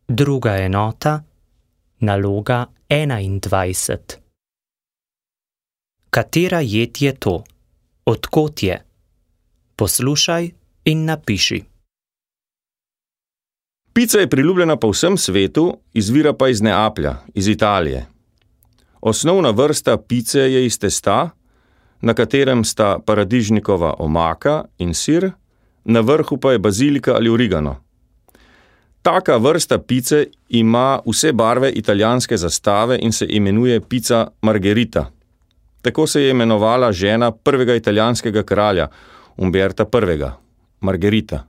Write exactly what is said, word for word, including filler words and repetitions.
Druga enota, naloga enaindvajset. Katera jed je to? Od kod je? Poslušaj in napiši. Pica je priljubljena po vsem svetu, izvira pa iz Neaplja, iz Italije. Osnovna vrsta pice je iz testa, na katerem sta paradižnikova omaka in sir, na vrhu pa je bazilika ali origano. Taka vrsta pice ima vse barve italijanske zastave in se imenuje pica margherita. Tako se je imenovala žena prvega italijanskega kralja, Umberta prvega, Margherita.